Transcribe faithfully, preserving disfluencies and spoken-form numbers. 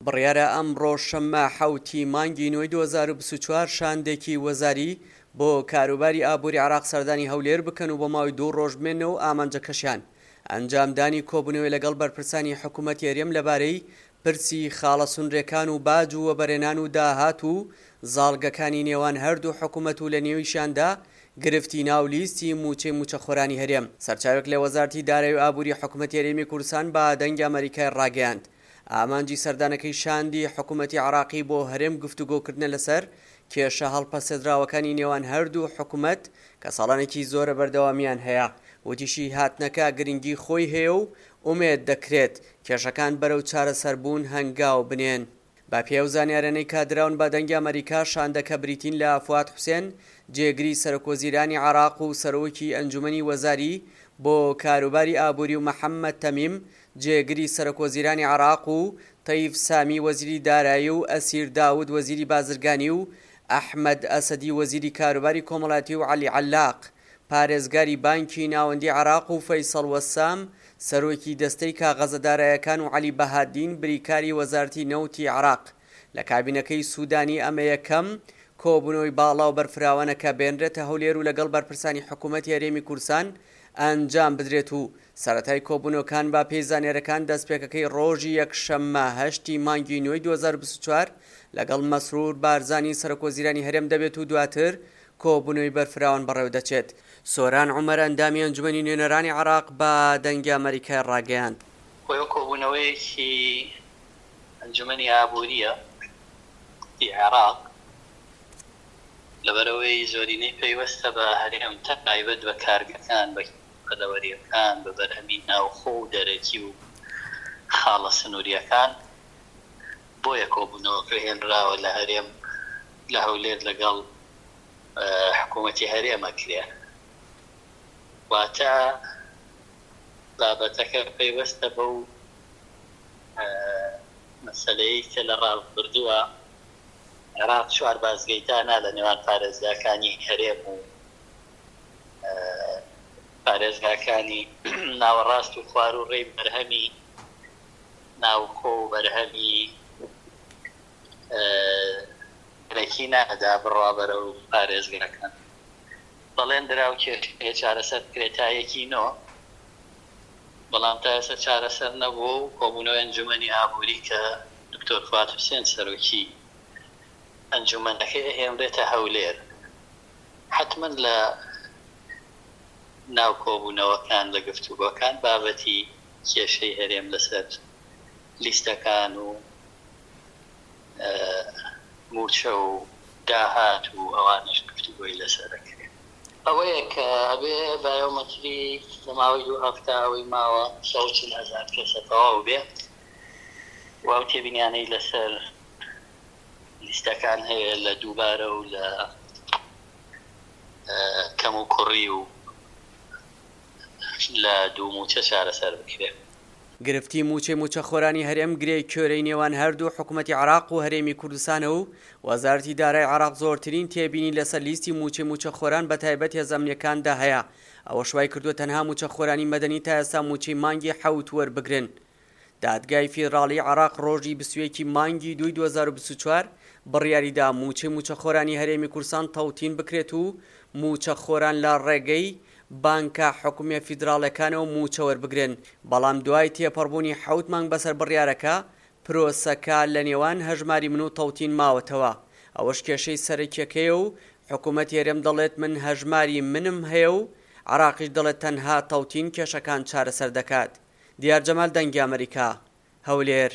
بڕیارە ئەمڕۆ شەممە حەوتی مانگی نۆی دوو هەزار و بیست و چوار شاندێکی وەزاری بۆ کاروباری ئابووری عێراق سەردانی هەولێر بکەن و بۆ ماوەی دوو ڕۆژ بمێنەوە و ئامانجەکەشیان ئەنجامدانی کۆبوونەوەی لەگەڵ بەرپرسانی حکوومەتی هەرێم لەبارەی پرسی خاڵە سنوورەکان و باج و وەبەرهێنان و داهات و زاڵگەکانی نێوان هەردوو حکوومەت و لە نێویشیاندا گرفتی ناو لیستی مووچەی مووچەخۆرانی هەرێم. سەرچاوێک لە وەزارەتی دارایی و ئابووری حکوومەتی هەرێمی کوردستان بە دەنگی ئەمەریکای ڕاگەیاند، ئامانجی سەردانەکەی شاندی حکوومەتی عێراقی بۆ هەرێم گفتوگۆکردنە لەسەر کێشە هەڵپەسێردراوەکانی نێوان هەردوو حکوومەت کە ساڵانێکی زۆرە بەردەوامیان هەیە. وتیشی هاتنەکە گرنگی خۆی هەیە و ئومێد دەکرێت کێشەکان بەرەو چارەسەربوون هەنگاو بنێن. بە پێی ئەو زانیارانەی کە دراون بە دەنگی ئەمەریکا، شاندەکە بریتین لە فواد حوسێن، جێگری سەرۆکوەزیرانی عێراق و سەرۆکی ئەنجومەنی وەزاری بۆ کاروباری ئابووری و محەممەد تەمیم، جێگری سەرۆکوەزیرانی عێراق و تەیف سامی وەزیری دارایی و ئەسیر داود وەزیری بازرگانی و ئەحمەد ئەسەدی وەزیری کاروباری کۆمەڵایەتی و عەلی عەلاق پارێزگاری بانکی ناوەندی عێراق و فەیسەڵ وەسام سەرۆکی دەستەی کاغەزە دارایەکان و عەلی بەهادین بریکاری وەزارەتی نەوتی عێراق لە کابینەکەی سوودانی. ئەمە یەکەم کۆبوونەوەی باڵا و بەرفراوانە کە بێنرێتە هەولێر و لەگەڵ بەرپرسانی حکوومەتی هەرێمی کوردستان ئەنجام بدرێت و سەرەتای کۆبوونەوەکان بە پێی زانیارەکان دەستپێکەکەی ڕۆژی یەکشەممە هەشتی مانگی نۆی دوو هەزار و بیست و چوار لەگەڵ مەسرور بارزانی سەرۆکوەزیرانی هەرێم دەبێت و دواتر کۆبوونەوەی بەرفراوان بەڕێوە دەچێت. سۆران عومەر ئەندامی ئەنجومەنی نوێنەرانی عێراق بە دەنگی ئەمەریکای ڕاگەیاند، خۆی کۆبوونەوەیەکی ئەنجومەنی ئابووریە ی عێراق، لەبەرئەوەی زۆرینەی پەیوەستە بە هەرێم، تایبەت بە کارگەکان، بە پەلەوەریەکان، بە بەرهەمی ناوخۆ و دەرەکی و خاڵە سنووریەکان، بۆیە کۆبوونەوەکە هێنراوە لە هەرێم لە هەولێر لەگەڵ حکوومەتی هەرێم ئەکرێ. واتە بابەتەکە پەیوەستە بەو مەسەلەیەی کە لە ڕابردووە عێراق چوار بازگەی دانا لە نێوان پارێزگاکانی هەرێم و پارێزگاکانی ناوەڕاست و خوار و ڕێی بەرهەمی ناوخۆ و بەرهەمی دەرەکی نادا بڕوا بەرەو پارێزگاکان. بەڵێن درا و کێشەیە چارەسەر بکرێت تا یەکی نۆ، بەڵام تا ئێستا چارەسەر نەبووە و کۆبوونەوەی ئەنجومەنی ئابووری کە دکتۆر فواد حوسێن سەرۆکی ئەنجومەنەکەی ئەهێنرێتە هەولێر، حەتمەن لە ناو کۆبوونەوەکان لە گفتوگۆکان بابەتی کێشەی هەرێم لەسەر لیستەکان و مووچە و داهات و ئەوانەش گفتوگۆی لەسەر ئەکرێ. ئەوەیە کە ئەبێ بایۆمەتری لە ماوەی دوو هەفتە ئەوەی ماوە سەد و چل هەزار کەسە تەواو بێ و ئەو تێبینیانەی لەسەر لیستەکان هەیە لە دووبارە و لە کەم و کوڕی و لە دوو مووچە چارەسەر بکرێ. گرفتی مووچەی مووچەخۆرانی هەرێم گرێی کوێرەی نێوان هەردوو حکوومەتی عێراق و هەرێمی کوردستانە و وەزارەتی دارای عێراق زۆرترین تێبینی لەسەر لیستی مووچەی مووچەخۆران بەتایبەت هێزە ئەمنییەکاندا هەیە، ئەوەش وای کردووە تەنها مووچەخۆرانی مەدەنی تا ئێستا مووچەی مانگی حەوت وەربگرن. دادگای فیدراڵیی عێراق ڕۆژی بیست و یەک ی مانگی دووی دوو هەزار و بیست و چوار بڕیاریدا مووچەی مووچەخۆرانی هەرێمی کوردستان تەوتین بکرێت و مووچەخۆران لە ڕێگەی بانکە حکومییە فیدراڵیەکانەوە مووچە وەربگرن، بەڵام دوای تێپەڕبوونی حەوت مانگ بەسەر بڕیارەکە، پرۆسەکە لە نێوان هەژماری من و تەوتین ماوەتەوە، ئەوەش کێشەی سەرەکیەکەیە و حکومەتی هەرێم دەڵێت من هەژماری منم هەیە و عێراقیش دەڵێت تەنها تەوتین کێشەکان چارەسەر دەکات. دیار جەمال، دەنگی ئەمەریکا، هەولێر.